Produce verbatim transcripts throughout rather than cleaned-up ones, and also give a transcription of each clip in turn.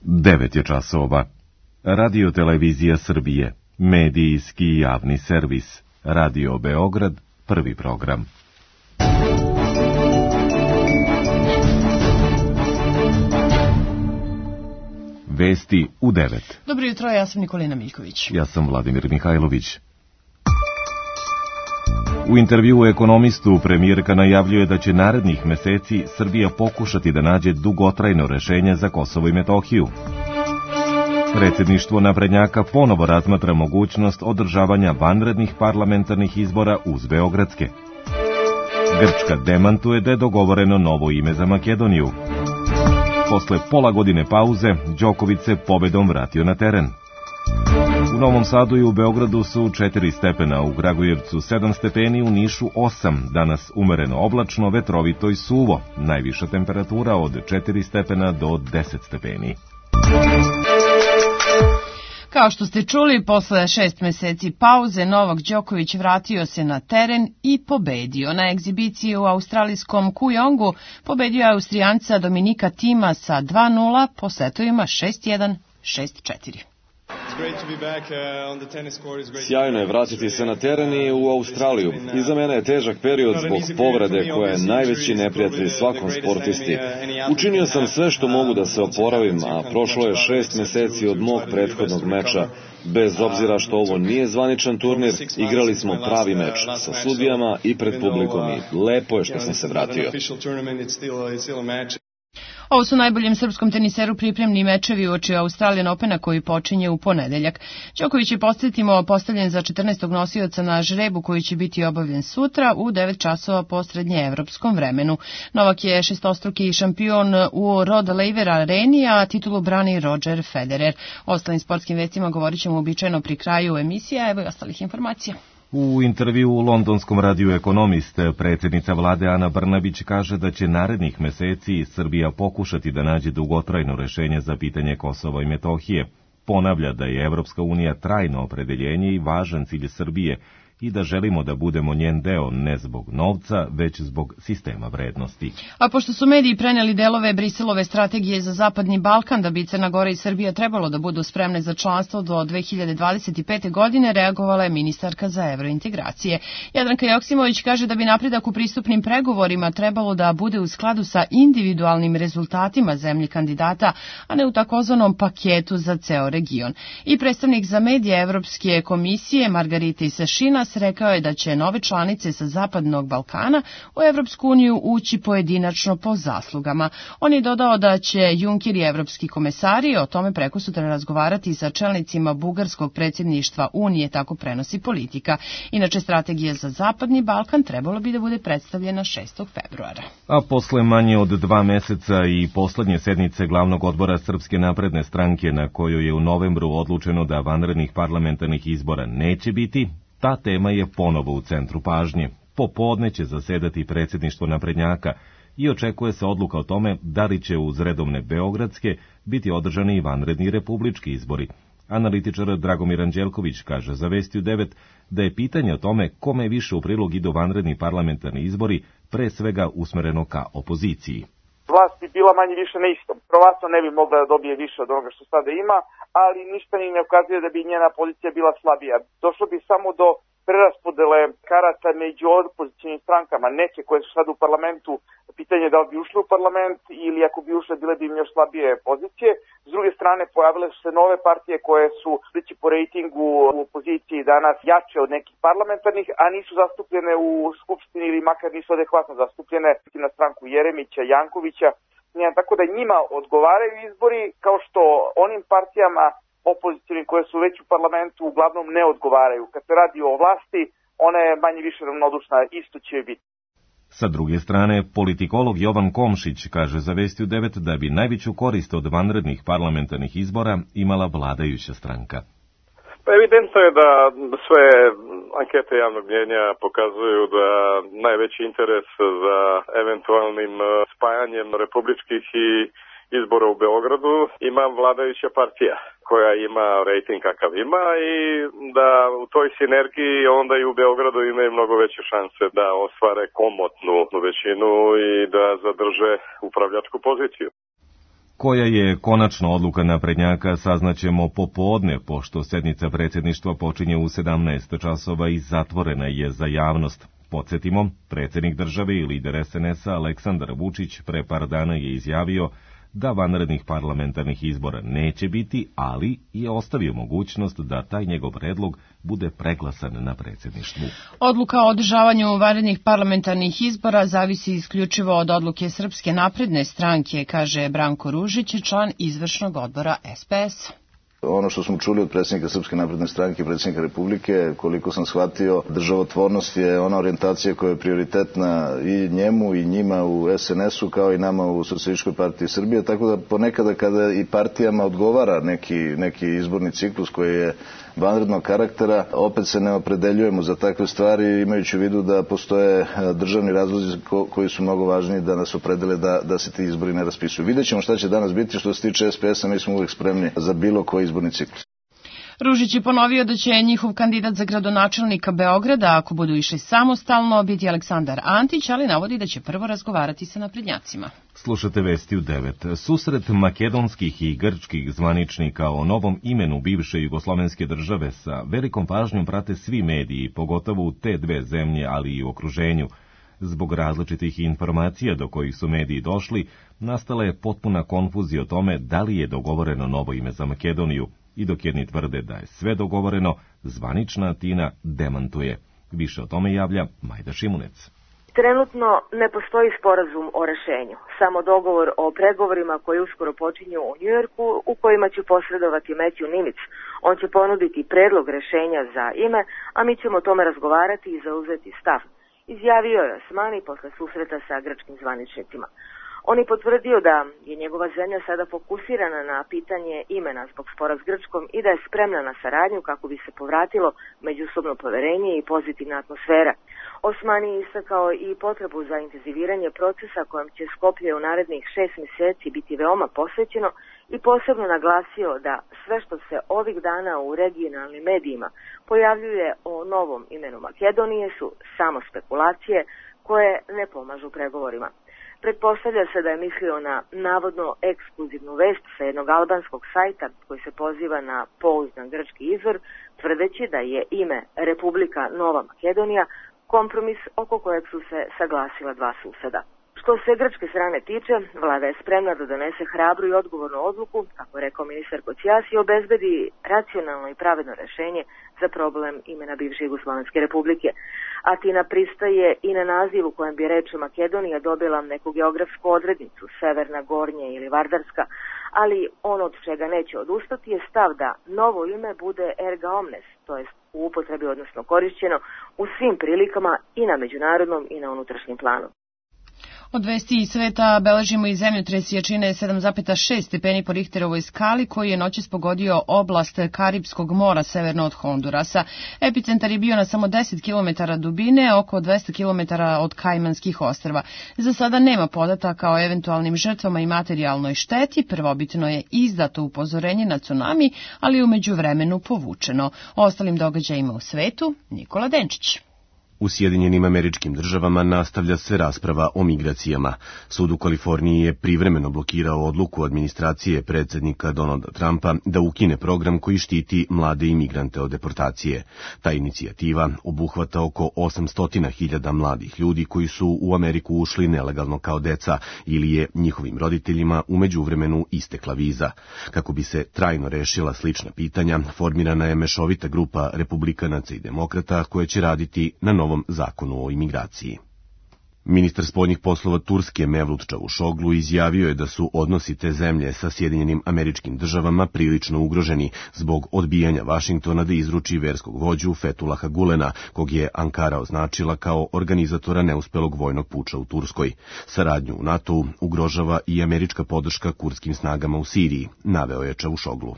devet je časova. Radio Televizija Srbije, medijski javni servis, Radio Beograd, prvi program. Vesti u devet. Dobro jutro, ja sam Nikolina Miljković. Ja sam Vladimir Mihajlović. U intervjuu Ekonomistu premijerka najavljuje da će narednih meseci Srbija pokušati da nađe dugotrajno rešenje za Kosovo i Metohiju. Predsjedništvo naprednjaka ponovo razmatra mogućnost održavanja vanrednih parlamentarnih izbora uz beogradske. Grčka demantuje da je dogovoreno novo ime za Makedoniju. Posle pola godine pauze, Đoković se pobedom vratio na teren. U Novom Sadu i u Beogradu su četiri stepena, u Kragujevcu sedam stepeni, u Nišu osam, danas umereno oblačno, vetrovito i suvo, najviša temperatura od četiri stepena do deset stepeni. Kao što ste čuli, posle šest meseci pauze, Novak Đoković vratio se na teren i pobedio. Na egzibiciji u australijskom Kujongu pobedio je Austrijanca Dominika Tima sa dva nula po setovima šest jedan, šest četiri. Sjajno je vratiti se na teren i u Australiju. Iza mene je težak period zbog povrede koja je najveći neprijatelj svakom sportisti. Učinio sam sve što mogu da se oporavim, a prošlo je šest meseci od mog prethodnog meča. Bez obzira što ovo nije zvaničan turnir, igrali smo pravi meč sa sudijama i pred publikom i lepo je što sam se vratio. Ovo su najboljem srpskom teniseru pripremni mečevi uoči Australian Opena koji počinje u ponedeljak. Đoković je, podsjetimo, postavljen za četrnaestog nosioca na žrebu koji će biti obavljen sutra u devet časova po srednjeevropskom vremenu. Novak je šestostruki šampion u Rod Laver areni, a titulu brani Roger Federer. O ostalim sportskim vestima govorit ćemo uobičajeno pri kraju emisija, evo i ostalih informacija. U intervju u londonskom radiju Ekonomist, predsjednica vlade Ana Brnabić kaže da će narednih meseci Srbija pokušati da nađe dugotrajno rešenje za pitanje Kosova i Metohije. Ponavlja da je Evropska unija trajno opredeljenje i važan cilj Srbije i da želimo da budemo njen deo ne zbog novca, već zbog sistema vrednosti. A pošto su mediji preneli delove Briselove strategije za Zapadni Balkan da bi Crna Gora i Srbija trebalo da budu spremne za članstvo do dve hiljade dvadeset pete. godine, reagovala je ministarka za evrointegracije. Jadranka Joksimović kaže da bi napredak u pristupnim pregovorima trebalo da bude u skladu sa individualnim rezultatima zemlji kandidata, a ne u takozvanom paketu za ceo region. I predstavnik za medije Evropske komisije Margaritis Šinas rekao je da će nove članice sa Zapadnog Balkana u Evropsku uniju ući pojedinačno po zaslugama. On je dodao da će Juncker i evropski komesari o tome prekosutra razgovarati sa čelnicima bugarskog predsjedništva Unije, tako prenosi Politika. Inače, strategija za Zapadni Balkan trebalo bi da bude predstavljena šestog februara. A posle manje od dva meseca i poslednje sednice glavnog odbora Srpske napredne stranke, na kojoj je u novembru odlučeno da vanrednih parlamentarnih izbora neće biti, ta tema je ponovo u centru pažnje. Popodne će zasedati predsjedništvo naprednjaka i očekuje se odluka o tome da li će uz redovne beogradske biti održani i vanredni republički izbori. Analitičar Dragomir Anđelković kaže za Vesti u devet da je pitanje o tome kome više u prilog idu vanredni parlamentarni izbori pre svega usmereno ka opoziciji. Vlast bi bila manje više na istom. Verovatno ne bi mogla da dobije više od onoga što sada ima, ali ništa ni ne ukazuje da bi njena pozicija bila slabija. Došlo bi samo do preraspodele karata među opozicijnim strankama. Neke koje su sad u parlamentu, pitanje da li bi ušli u parlament ili ako bi ušle bile bi im još slabije pozicije. S druge strane pojavile su se nove partije koje su sliči po rejtingu u opoziciji danas jače od nekih parlamentarnih, a nisu zastupljene u skupštini ili makar nisu adekvatno zastupljene na stranku Jeremića, Jankovića. Tako da njima odgovaraju izbori kao što onim partijama opozicijnim koje su već u parlamentu uglavnom ne odgovaraju. Kad se radi o vlasti, ona je manje više ravnodušna, isto će biti. Sa druge strane, politikolog Jovan Komšić kaže za Vesti u devet da bi najveću korist od vanrednih parlamentarnih izbora imala vladajuća stranka. Pa evidentno je da sve ankete javnog mnjenja pokazuju da najveći interes za eventualnim spajanjem republičkih i izbora u Beogradu ima vladajuća partija koja ima rejting kakav ima i da u toj sinergiji onda i u Beogradu imaju mnogo veće šanse da ostvare komotnu većinu i da zadrže upravljačku poziciju. Koja je konačna odluka naprednjaka saznaćemo popodne, pošto sednica predsjedništva počinje u sedamnaest časova i zatvorena je za javnost. Podsjetimo, predsjednik države i lider es en es a Aleksandar Vučić pre par dana je izjavio da vanrednih parlamentarnih izbora neće biti, ali je ostavio mogućnost da taj njegov predlog bude preglasan na predsjedništvu. Odluka o održavanju vanrednih parlamentarnih izbora zavisi isključivo od odluke Srpske napredne stranke, kaže Branko Ružić, član izvršnog odbora es pe es. Ono što smo čuli od predsjednika Srpske napredne stranke i predsjednika Republike, koliko sam shvatio, državotvornost je ona orijentacija koja je prioritetna i njemu i njima u es en es u kao i nama u Socijalističkoj partiji Srbije, tako da ponekada kada i partijama odgovara neki, neki izborni ciklus koji je vanrednog karaktera, opet se ne opredeljujemo za takve stvari, imajući u vidu da postoje državni razlozi ko, koji su mnogo važniji da nas opredele da, da se ti izbori ne raspisuju. Vidjet ćemo šta će danas biti. Što se tiče es pe es-a, mi smo uvijek spremni za bilo koji izborni ciklus. Ružić je ponovio da će njihov kandidat za gradonačelnika Beograda, ako budu išli samostalno, biti Aleksandar Antić, ali navodi da će prvo razgovarati sa naprednjacima. Slušate vesti u devet. Susret makedonskih i grčkih zvaničnika o novom imenu bivše jugoslovenske države sa velikom pažnjom prate svi mediji, pogotovo u te dve zemlje, ali i u okruženju. Zbog različitih informacija do kojih su mediji došli, nastala je potpuna konfuzija o tome da li je dogovoreno novo ime za Makedoniju. I dok jedni tvrde da je sve dogovoreno, zvanična Atina demantuje. Više o tome javlja Majda Šimunec. Trenutno ne postoji sporazum o rešenju, samo dogovor o pregovorima koji uskoro počinju u Njujorku, u kojima će posredovati Matthew Nimitz. On će ponuditi predlog rešenja za ime, a mi ćemo o tome razgovarati i zauzeti stav, izjavio je Osmani posle susreta sa grčkim zvaničnicima. On je potvrdio da je njegova zemlja sada fokusirana na pitanje imena zbog spora s Grčkom i da je spremna na saradnju kako bi se povratilo međusobno poverenje i pozitivna atmosfera. Osmani je istakao i potrebu za intenziviranje procesa kojem će Skoplje u narednih šest mjeseci biti veoma posvećeno i posebno naglasio da sve što se ovih dana u regionalnim medijima pojavljuje o novom imenu Makedonije su samo spekulacije koje ne pomažu pregovorima. Pretpostavlja se da je mislio na navodno ekskluzivnu vest sa jednog albanskog sajta koji se poziva na pouzdan grčki izvor, tvrdeći da je ime Republika Nova Makedonija kompromis oko kojeg su se saglasila dva suseda. Što se grčke strane tiče, vlada je spremna da donese hrabru i odgovornu odluku, kako je rekao ministar Kocijas, i obezbedi racionalno i pravedno rešenje za problem imena bivše Jugoslovenske republike. Atina pristaje i na naziv u kojem bi reč Makedonija dobila neku geografsku odrednicu, Severna, Gornja ili Vardarska, ali ono od čega neće odustati je stav da novo ime bude erga omnes, to jest u upotrebi, odnosno korišćeno u svim prilikama i na međunarodnom i na unutrašnjem planu. Od vesti iz sveta beležimo i zemljotres jačine sedam zarez šest stepeni po Richterovoj skali koji je noćas pogodio oblast Karipskog mora severno od Hondurasa. Epicentar je bio na samo deset kilometara dubine, oko dvesta kilometara od Kajmanskih ostrva. Za sada nema podataka o eventualnim žrtvama i materijalnoj šteti. Prvobitno je izdato upozorenje na tsunami, ali je u međuvremenu povučeno. O ostalim događajima u svetu, Nikola Denčić. U Sjedinjenim Američkim Državama nastavlja se rasprava o migracijama. Sud u Kaliforniji je privremeno blokirao odluku administracije predsjednika Donalda Trumpa da ukine program koji štiti mlade imigrante od deportacije. Ta inicijativa obuhvata oko osamsto hiljada mladih ljudi koji su u Ameriku ušli nelegalno kao deca ili je njihovim roditeljima u međuvremenu istekla viza. Kako bi se trajno rešila slična pitanja, formirana je mešovita grupa republikanaca i demokrata koja će raditi na novom zakonu o imigraciji. Ministar spoljnih poslova Turske Mevlut Čavuşoglu izjavio je da su odnosi te zemlje sa Sjedinjenim Američkim Državama prilično ugroženi zbog odbijanja Vašingtona da izruči verskog vođu Fetulaha Gulena, kog je Ankara označila kao organizatora neuspelog vojnog puča u Turskoj. Saradnju u NATO ugrožava i američka podrška kurdskim snagama u Siriji, naveo je Čavuşoglu.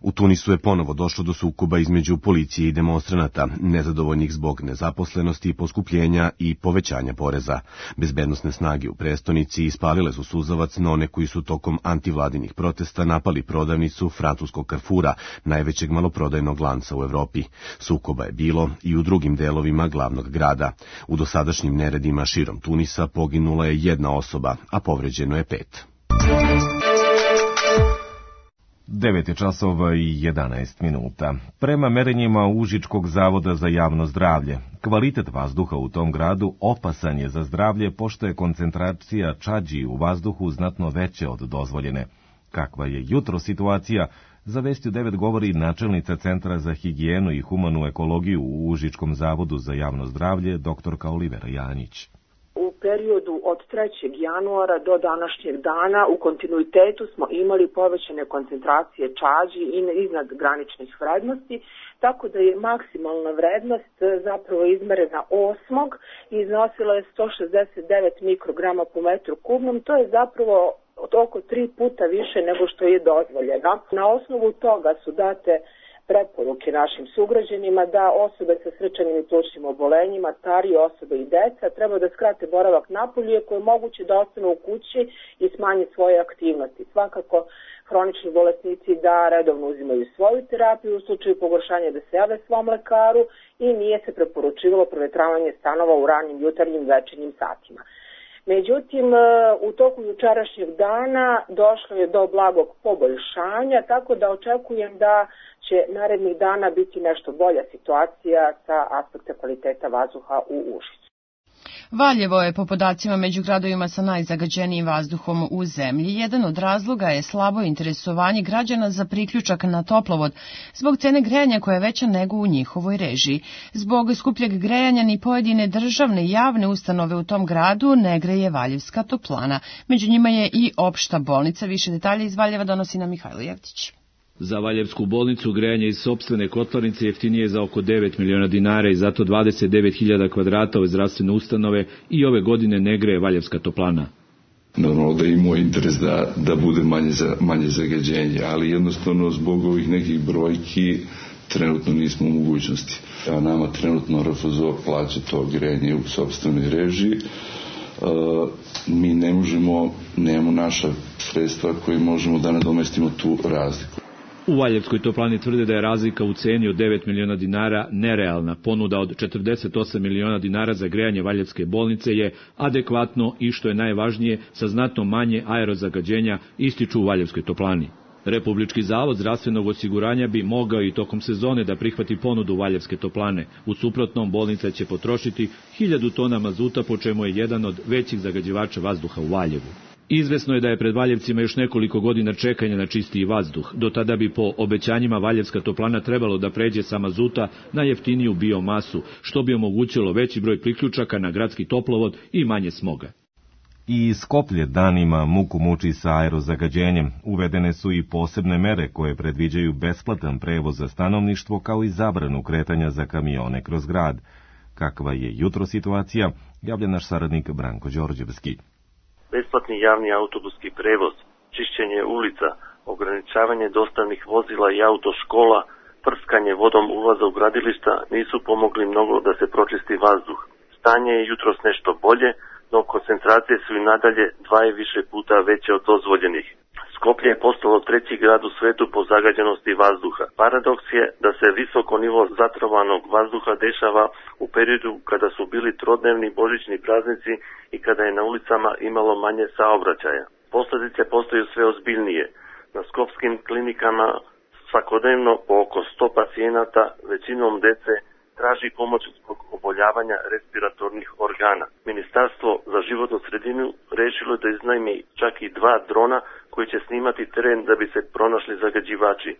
U Tunisu je ponovo došlo do sukoba između policije i demonstranata, nezadovoljnih zbog nezaposlenosti, poskupljenja i povećanja poreza. Bezbednosne snage u prestonici ispalile su suzavac na one koji su tokom antivladinih protesta napali prodavnicu francuskog Carrefoura, najvećeg maloprodajnog lanca u Evropi. Sukoba je bilo i u drugim delovima glavnog grada. U dosadašnjim neredima širom Tunisa poginula je jedna osoba, a povređeno je pet. devet je časova i jedanaest minuta. Prema merenjima Užičkog zavoda za javno zdravlje, kvalitet vazduha u tom gradu opasan je za zdravlje pošto je koncentracija čađi u vazduhu znatno veće od dozvoljene. Kakva je jutro situacija, za Vesti u devet govori načelnica Centra za higijenu i humanu ekologiju u Užičkom zavodu za javno zdravlje, doktorka Olivera Janjić. U periodu od trećeg januara do današnjeg dana u kontinuitetu smo imali povećane koncentracije čađi iznad graničnih vrednosti, tako da je maksimalna vrednost zapravo izmerena osmog i iznosila je sto šezdeset devet mikrograma po metru kubnom. To je zapravo od oko tri puta više nego što je dozvoljeno. Na osnovu toga su date preporuke našim sugrađanima da osobe sa srčanim i plućnim obolenjima, starije osobe i deca treba da skrate boravak napolju ako je moguće da ostanu u kući i smanje svoje aktivnosti. Svakako, hronični bolesnici da redovno uzimaju svoju terapiju u slučaju pogoršanja da se jave svom lekaru i nije se preporučivalo provetravanje stanova u ranim jutarnjim večernjim satima. Međutim, u toku jučerašnjeg dana došlo je do blagog poboljšanja, tako da očekujem da će narednih dana biti nešto bolja situacija sa aspekta kvaliteta vazduha u Užicu. Valjevo je po podacima među gradovima sa najzagađenijim vazduhom u zemlji. Jedan od razloga je slabo interesovanje građana za priključak na toplovod zbog cene grejanja koja je veća nego u njihovoj režiji. Zbog skupljeg grejanja ni pojedine državne i javne ustanove u tom gradu ne greje Valjevska toplana. Među njima je i opšta bolnica. Više detalje iz Valjeva donosi nam Mihajlo Jevtić. Za Valjevsku bolnicu grejanje iz sopstvene kotlarnice jeftinije je za oko devet miliona dinara i zato dvadeset devet hiljada kvadrata ove zdravstvene ustanove i ove godine ne greje Valjevska toplana. Normalno da je imao interes da, da bude manje, za, manje zagađenje, ali jednostavno zbog ovih nekih brojki trenutno nismo u mogućnosti. A nama trenutno R F Z O plaća to grejanje u sopstvenoj režiji. Uh, mi ne možemo, nemamo naša sredstva koje možemo da nadomestimo tu razliku. U Valjevskoj toplani tvrde da je razlika u ceni od devet miliona dinara nerealna. Ponuda od četrdeset osam miliona dinara za grejanje Valjevske bolnice je adekvatno i, što je najvažnije, sa znatno manje aerozagađenja, ističu u Valjevskoj toplani. Republički zavod zdravstvenog osiguranja bi mogao i tokom sezone da prihvati ponudu Valjevske toplane. U suprotnom, bolnica će potrošiti hiljadu tona mazuta, po čemu je jedan od većih zagađivača vazduha u Valjevu. Izvesno je da je pred Valjevcima još nekoliko godina čekanja na čistiji vazduh. Do tada bi po obećanjima Valjevska toplana trebalo da pređe sa mazuta na jeftiniju biomasu, što bi omogućilo veći broj priključaka na gradski toplovod i manje smoga. I Skoplje danima muku muči sa aerozagađenjem. Uvedene su i posebne mere koje predviđaju besplatan prevoz za stanovništvo kao i zabranu kretanja za kamione kroz grad. Kakva je jutro situacija, javlja naš saradnik Branko Đorđevski. Besplatni javni autobuski prevoz, čišćenje ulica, ograničavanje dostavnih vozila i autoškola, prskanje vodom ulaza u gradilišta nisu pomogli mnogo da se pročisti vazduh. Stanje je jutros nešto bolje, no koncentracije su i nadalje dva i više puta veće od dozvoljenih. Skoplje je postalo treći grad u svetu po zagađenosti vazduha. Paradoks je da se visoko nivo zatrovanog vazduha dešava u periodu kada su bili trodnevni božićni praznici i kada je na ulicama imalo manje saobraćaja. Posljedice postaju sve ozbiljnije. Na skopskim klinikama svakodnevno po oko sto pacijenata, većinom dece, traži pomoć zbog oboljavanja respiratornih organa. Ministarstvo za životnu sredinu rešilo da iznajmi čak i dva drona koji će snimati teren da bi se pronašli zagađivači.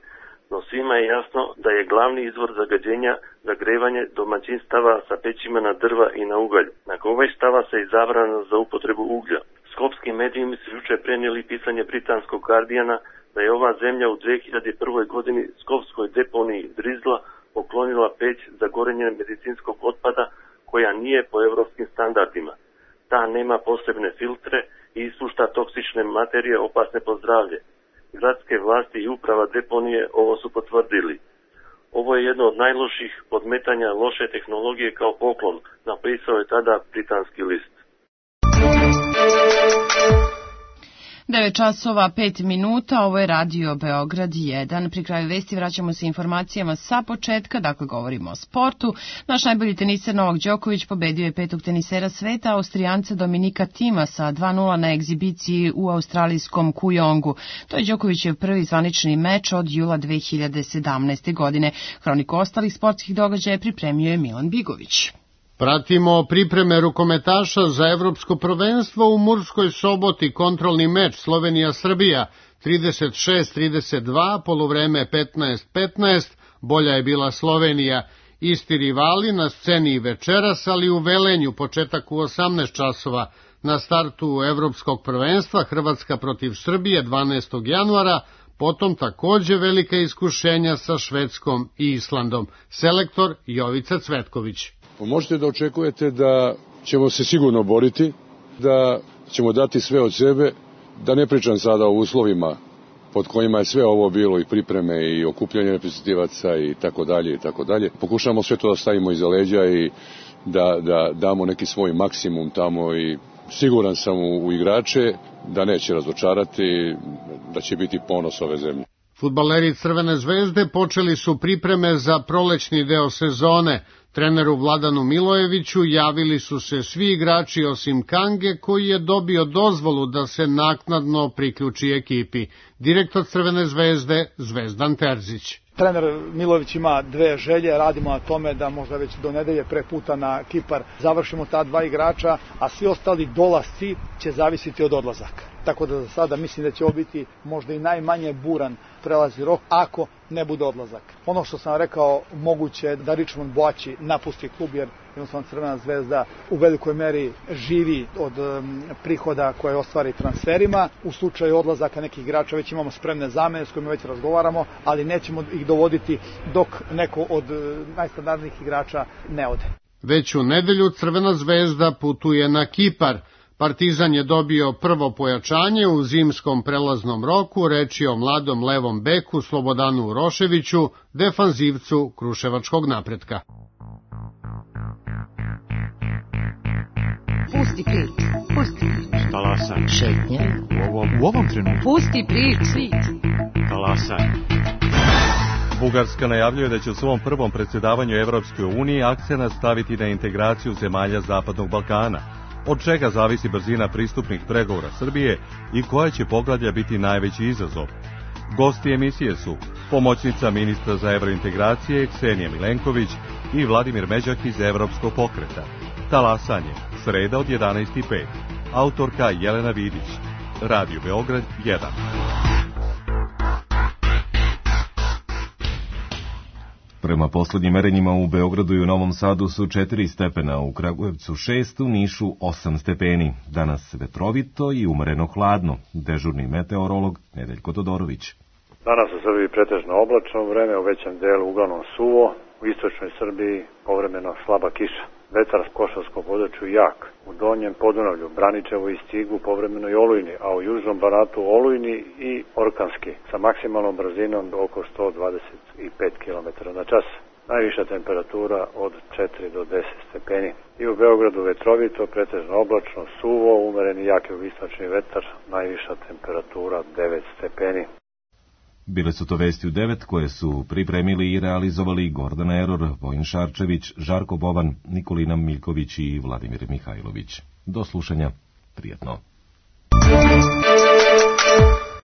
No svima je jasno da je glavni izvor zagađenja zagrevanje domaćinstava sa pećima na drva i na ugalj. Nagovještava se i zabrana za upotrebu uglja. Skopski mediji su juče prenijeli pisanje britanskog Guardiana da je ova zemlja u dve hiljade prve. godini skopskoj deponiji Drizla poklonila peć za gorenje medicinskog otpada koja nije po evropskim standardima. Ta nema posebne filtre i ispušta toksične materije opasne po zdravlje. Gradske vlasti i uprava deponije ovo su potvrdili. Ovo je jedno od najloših podmetanja loše tehnologije kao poklon, napisao je tada britanski list. devet časova pet minuta, ovo je Radio Beograd jedan. Pri kraju vesti vraćamo se informacijama sa početka, dakle govorimo o sportu. Naš najbolji teniser Novak Đoković pobedio je petog tenisera sveta, Austrijance Dominika Tima sa dva nula na egzibiciji u australijskom Kujongu. To je Đokovićev prvi zvanični meč od jula dve hiljade sedamnaeste. godine. Hroniku ostalih sportskih događaja pripremio je Milan Bigović. Pratimo pripreme rukometaša za evropsko prvenstvo u Murskoj Soboti, kontrolni meč Slovenija-Srbija, trideset šest trideset dva, poluvreme petnaest petnaest, bolja je bila Slovenija. Isti rivali na sceni večeras, ali u Velenju, početak u osamnaest časova. Na startu evropskog prvenstva Hrvatska protiv Srbije dvanaestog januara, potom takođe velika iskušenja sa Švedskom i Islandom. Selektor Jovica Cvetković. Možete da očekujete da ćemo se sigurno boriti, da ćemo dati sve od sebe, da ne pričam sada o uslovima pod kojima je sve ovo bilo, i pripreme i okupljanje reprezentativaca i tako dalje i tako dalje. Pokušamo sve to da stavimo iza leđa i da, da damo neki svoj maksimum tamo, i siguran sam u, u igrače da neće razočarati, da će biti ponos ove zemlje. Fudbaleri Crvene zvezde počeli su pripreme za prolećni deo sezone. Treneru Vladanu Milojeviću javili su se svi igrači osim Kange, koji je dobio dozvolu da se naknadno priključi ekipi. Direktor Crvene zvezde Zvezdan Terzić. Trener Milojević ima dve želje, radimo na tome da možda već do nedelje pre puta na Kipar završimo ta dva igrača, a svi ostali dolasci će zavisiti od odlazaka. Tako da za sada mislim da će ovo biti možda i najmanje buran prelazni rok ako ne bude odlazak. Ono što sam rekao, moguće je da Richmond Boači napusti klub, jer jednostavno Crvena zvezda u velikoj meri živi od um, prihoda koje ostvari transferima. U slučaju odlazaka nekih igrača već imamo spremne zamene s kojima već razgovaramo, ali nećemo ih dovoditi dok neko od uh, najstandardnijih igrača ne ode. Već u nedelju Crvena zvezda putuje na Kipar. Partizan je dobio prvo pojačanje u zimskom prelaznom roku, reč je o mladom levom beku Slobodanu Uroševiću, defanzivcu Kruševačkog Napretka. Pusti prič, pusti prič. Talasaj. Šetnja. U ovom, u ovom trenutku. Pusti prič. Talasaj. Bugarska najavljuje da će u svom prvom predsjedavanju Evropskoj uniji akcenat staviti na integraciju zemalja Zapadnog Balkana, od čega zavisi brzina pristupnih pregovora Srbije i koja će poglavlja biti najveći izazov. Gosti emisije su pomoćnica ministra za evrointegracije Ksenija Milenković i Vladimir Međak iz Evropskog pokreta. Talasanje, sreda od jedanaest i pet. Autorka Jelena Vidić. Radio Beograd jedan. Prema poslednjim merenjima u Beogradu i u Novom Sadu su četiri stepena, u Kragujevcu šest, u Nišu osam stepeni. Danas vetrovito i umereno hladno. Dežurni meteorolog Nedeljko Todorović. Danas u Srbiji pretežno oblačno vreme, u većem delu uglavnom suvo, u istočnoj Srbiji povremeno slaba kiša. Vetar s Košarskom području jak. U donjem Podunavlju, Braničevo i Stigu povremeno i olujni, a u južnom Banatu olujni i orkanski, sa maksimalnom brzinom oko sto dvadeset pet kilometara na čas. Najviša temperatura od četiri do deset stepeni. I u Beogradu vetrovito, pretežno oblačno, suvo, umereni jak jugoistočni vetar, najviša temperatura devet stepeni. Bile su to vesti u devet koje su pripremili i realizovali Gordana Eror, Vojin Šarčević, Žarko Boban, Nikolina Miljković i Vladimir Mihajlović. Do slušanja, prijetno.